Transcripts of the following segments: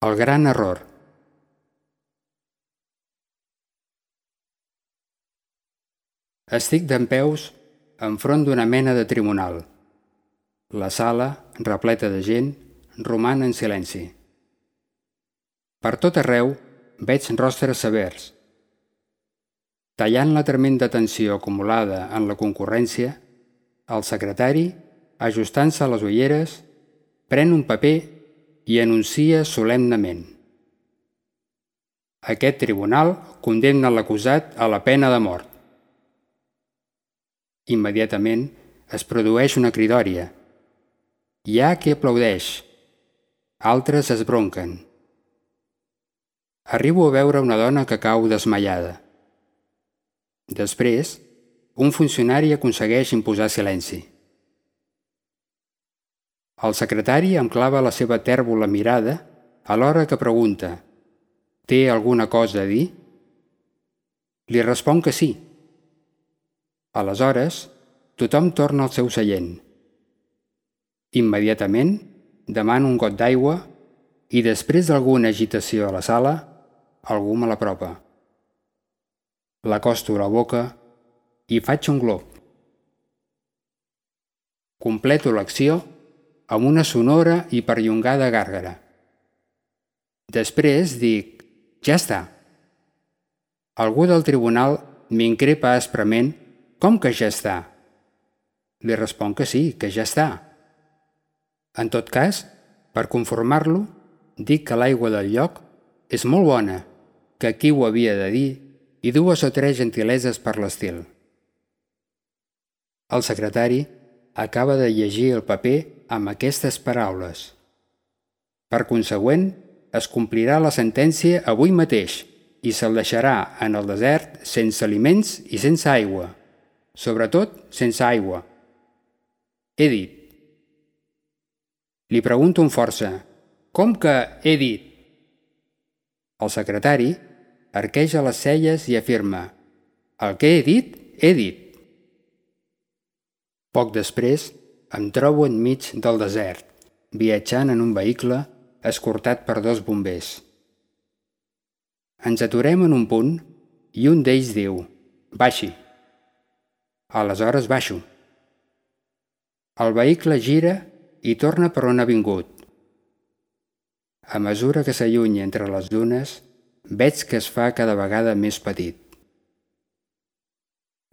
El gran error. Estic dempeus enfront d'una mena de tribunal. La sala, repleta de gent, roman en silenci. Per tot arreu veig rostres severs. Tallant la tremenda tensió acumulada en la concurrència, el secretari, ajustant-se les ulleres, pren un paper i anuncia solemnement: aquest tribunal condemna l'acusat a la pena de mort. Immediatament es produeix una cridòria. Hi ha qui aplaudeix, altres es bronquen. Arribo a veure una dona que cau desmaiada. Després, un funcionari aconsegueix imposar silenci. El secretari em clava la seva tèrbola mirada alhora que pregunta: «Té alguna cosa a dir?» Li responc que sí. Aleshores, tothom torna al seu seient. Immediatament demano un got d'aigua i després d'alguna agitació a la sala, algú me l'apropa. L'acosto a la boca i faig un glop. Completo l'acció amb una sonora i perllongada gàrgara. Després dic: «Ja està». Algú del tribunal m'increpa asprement: «Com que ja està?» Li responc que sí, que ja està. En tot cas, per conformar-lo, dic que l'aigua del lloc és molt bona, que aquí ho havia de dir, i 2 o 3 gentileses per l'estil. El secretari acaba de llegir el paper amb aquestes paraules: «Per consegüent, es complirà la sentència avui mateix i se'l deixarà en el desert sense aliments i sense aigua, sobretot sense aigua. He dit». Li pregunto amb força: «Com que he dit?» El secretari arqueja les celles i afirma: «El que he dit, he dit». Poc després em trobo enmig del desert, viatjant en un vehicle escortat per 2 bombers. Ens aturem en un punt i un d'ells diu: «Baixi». Aleshores baixo. El vehicle gira i torna per on ha vingut. A mesura que s'allunya entre les dunes, veig que es fa cada vegada més petit.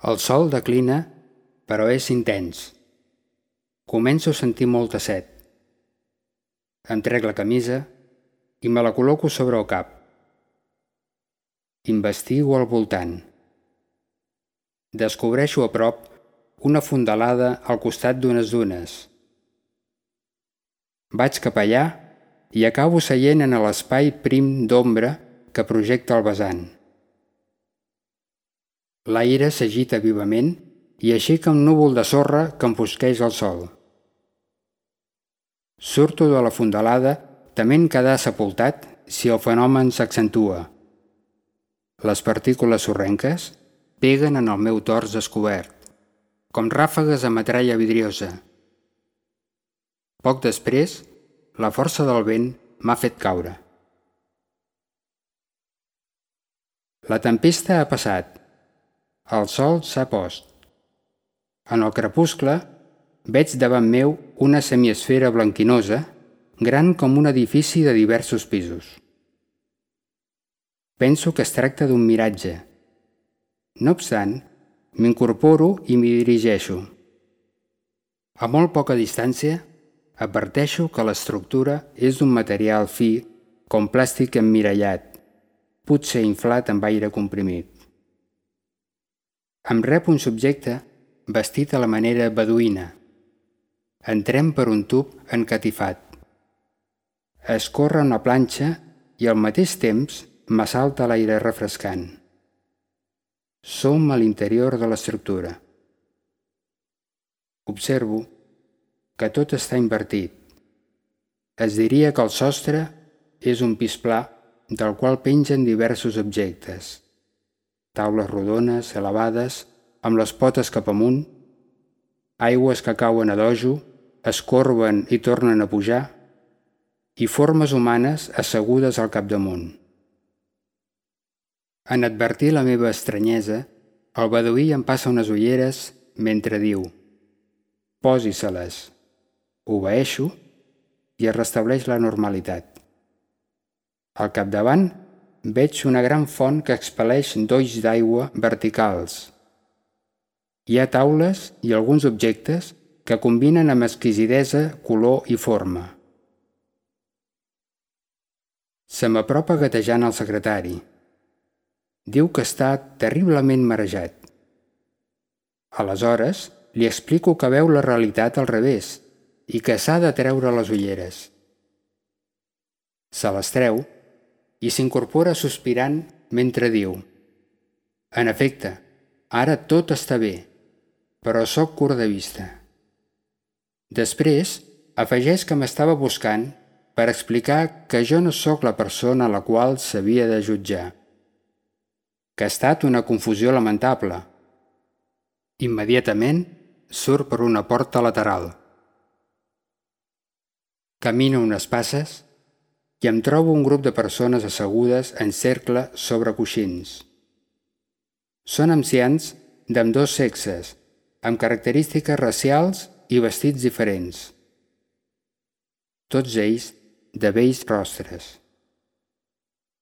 El sol declina, però és intens. Començo a sentir molta set. Em trec la camisa i me la col·loco sobre el cap. Investigo al voltant. Descobreixo a prop una fondalada al costat d'unes dunes. Vaig cap allà i acabo seient en l'espai prim d'ombra que projecta el vessant. L'aire s'agita vivament i aixeca un núvol de sorra que enfosqueix el sol. Surto de la fondalada tement quedar sepultat si el fenomen s'accentua. Les partícules sorrenques peguen en el meu tors descobert, com ràfegues de metralla vidriosa. Poc després, la força del vent m'ha fet caure. La tempesta ha passat. El sol s'ha post. En el crepuscle veig davant meu una semiesfera blanquinosa, gran com un edifici de diversos pisos. Penso que es tracta d'un miratge. No obstant, m'incorporo i m'hi dirigeixo. A molt poca distància, adverteixo que l'estructura és d'un material fi com plàstic emmirallat, potser inflat amb aire comprimit. Em rep un subjecte vestit a la manera beduïna. Entrem per un tub encatifat. Escorre una planxa i al mateix temps m'assalta l'aire refrescant. Som a l'interior de l'estructura. Observo que tot està invertit. Es diria que el sostre és un pis pla del qual pengen diversos objectes. Taules rodones, elevades, amb les potes cap amunt, aigües que cauen a dojo, es corben i tornen a pujar, i formes humanes assegudes al capdamunt. En advertir la meva estranyesa, el beduí em passa unes ulleres mentre diu: «Posi-se-les». Obeeixo i es restableix la normalitat. Al capdavant veig una gran font que expel·leix dolls d'aigua verticals. Hi ha taules i alguns objectes que combinen amb exquisidesa color i forma. Se m'apropa gatejant el secretari. Diu que està terriblement marejat. Aleshores, li explico que veu la realitat al revés i que s'ha de treure les ulleres. Se les treu i s'incorpora sospirant mentre diu: «En efecte, ara tot està bé, però sóc curt de vista». Després, afegeix que m'estava buscant per explicar que jo no sóc la persona a la qual s'havia de jutjar, que ha estat una confusió lamentable. Immediatament surt per una porta lateral. Camino unes passes i em trobo un grup de persones assegudes en cercle sobre coixins. Són ancians d'ambdós sexes, amb característiques racials i vestits diferents. Tots ells de bells rostres.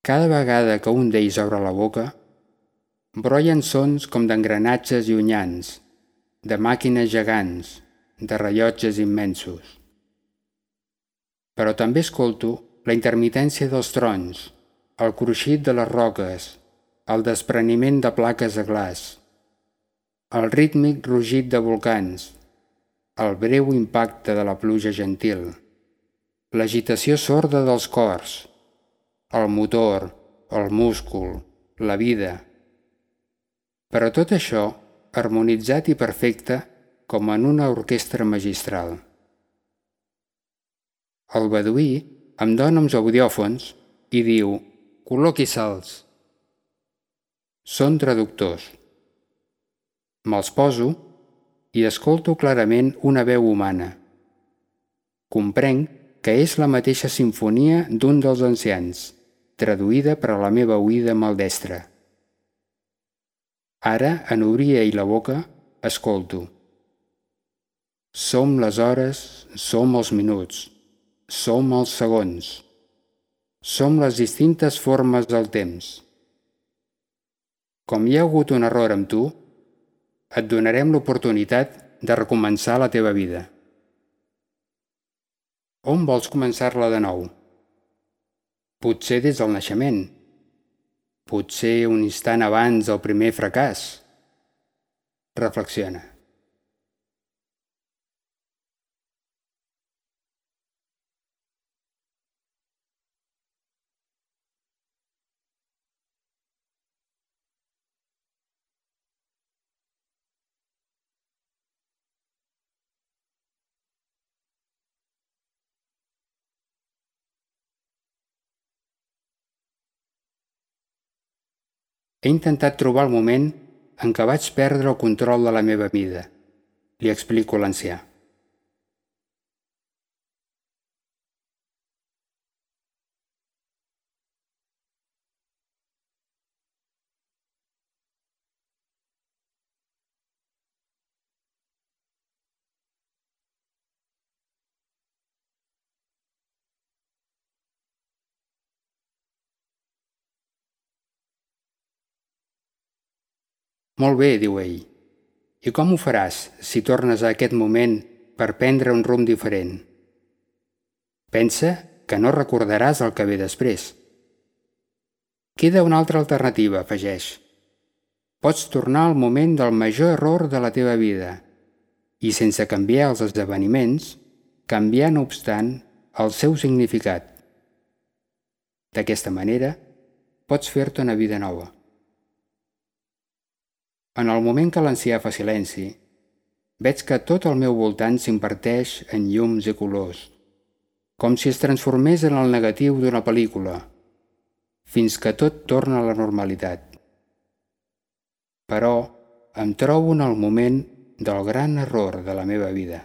Cada vegada que un d'ells obre la boca, brollen sons com d'engranatges llunyans, de màquines gegants, de rellotges immensos. Però també escolto la intermitència dels trons, el cruixit de les roques, el despreniment de plaques de glaç, el rítmic rugit de volcans, el breu impacte de la pluja gentil, l'agitació sorda dels cors, el motor, el múscul, la vida. Però tot això harmonitzat i perfecte com en una orquestra magistral. El beduí em dona uns audiòfons i diu: «Col·loqui-se'ls». Són traductors. Me'ls poso i escolto clarament una veu humana. Comprenc que és la mateixa simfonia d'un dels ancians, traduïda per a la meva oïda maldestra. Ara, en obrir ell la boca, escolto: «Som les hores, som els minuts, som els segons, som les distintes formes del temps. Com hi ha hagut un error amb tu, et donarem l'oportunitat de recomençar la teva vida. On vols començar-la de nou? Potser des del naixement, potser un instant abans del primer fracàs. Reflexiona». He intentat trobar el moment en què vaig perdre el control de la meva vida, li explico a l'ancià. Molt bé, diu ell. I com ho faràs si tornes a aquest moment per prendre un rumb diferent? Pensa que no recordaràs el que ve després. Queda una altra alternativa, afegeix. Pots tornar al moment del major error de la teva vida i, sense canviar els esdeveniments, canviar, no obstant, el seu significat. D'aquesta manera, pots fer-te una vida nova. En el moment que l'ancià fa silenci, veig que tot al meu voltant s'imparteix en llums i colors, com si es transformés en el negatiu d'una pel·lícula, fins que tot torna a la normalitat. Però em trobo en el moment del gran error de la meva vida.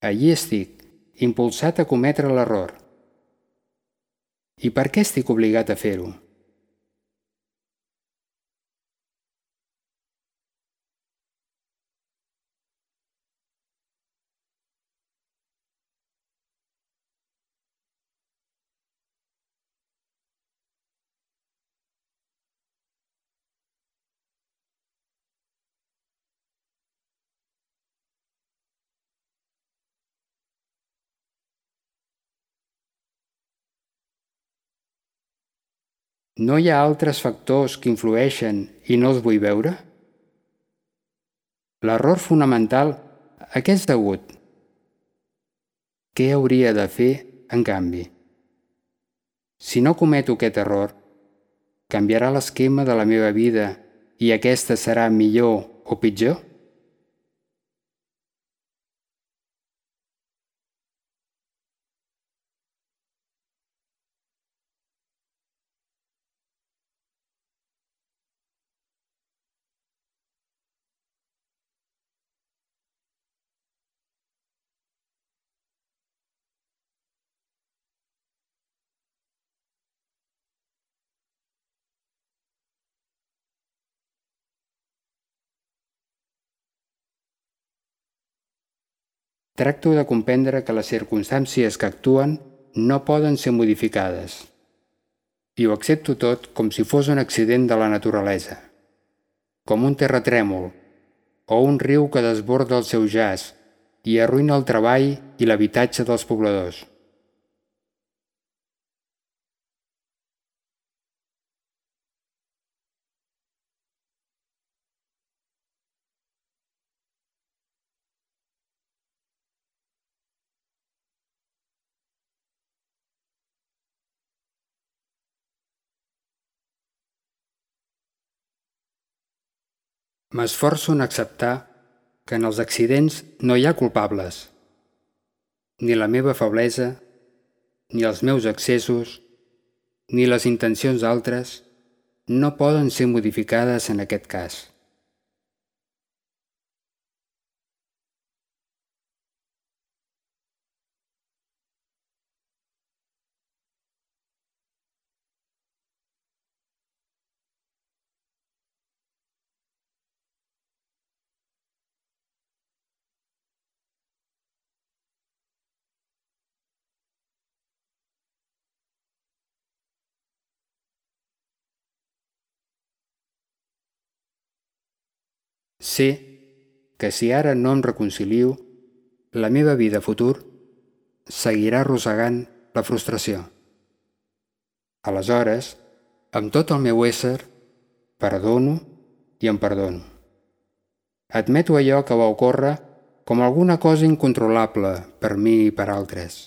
Allí estic, impulsat a cometre l'error. I per què estic obligat a fer-ho? No hi ha altres factors que influeixen i no els vull veure? L'error fonamental a què és degut? Què hauria de fer, en canvi? Si no cometo aquest error, canviarà l'esquema de la meva vida i aquesta serà millor o pitjor? Tracto de comprendre que les circumstàncies que actuen no poden ser modificades. I ho accepto tot com si fos un accident de la naturalesa, com un terratrèmol o un riu que desborda el seu jaç i arruïna el treball i l'habitatge dels pobladors. M'esforço en acceptar que en els accidents no hi ha culpables, ni la meva feblesa, ni els meus excessos, ni les intencions d'altres no poden ser modificades en aquest cas. Sé que si ara no em reconcilio, la meva vida futur seguirà arrossegant la frustració. Aleshores, amb tot el meu ésser, perdono i em perdono. Admeto allò que va ocórrer com alguna cosa incontrolable per mi i per altres.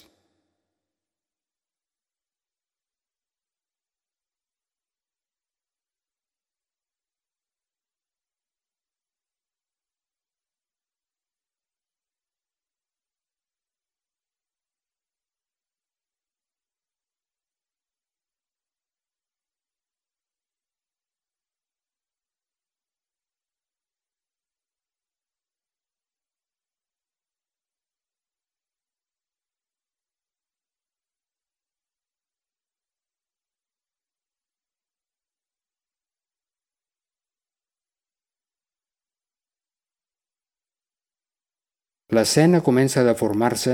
L'escena comença a deformar-se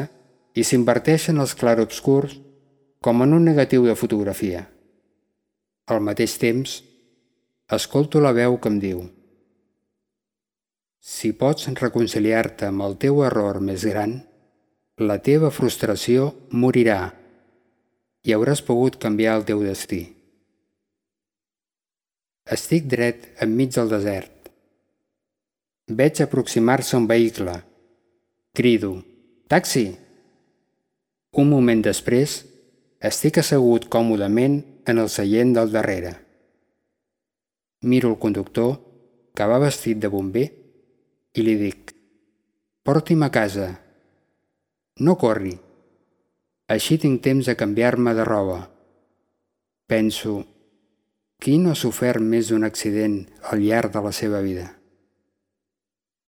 i s'inverteixen els clarobscurs com en un negatiu de fotografia. Al mateix temps, escolto la veu que em diu: si pots reconciliar-te amb el teu error més gran, la teva frustració morirà i hauràs pogut canviar el teu destí. Estic dret enmig del desert. Veig aproximar-se un vehicle. Crido: taxi! Un moment després, estic assegut còmodament en el seient del darrere. Miro el conductor, que va vestit de bomber, i li dic: porti'm a casa. No corri. Així tinc temps de canviar-me de roba. Penso: qui no ha sofert més d'un accident al llarg de la seva vida?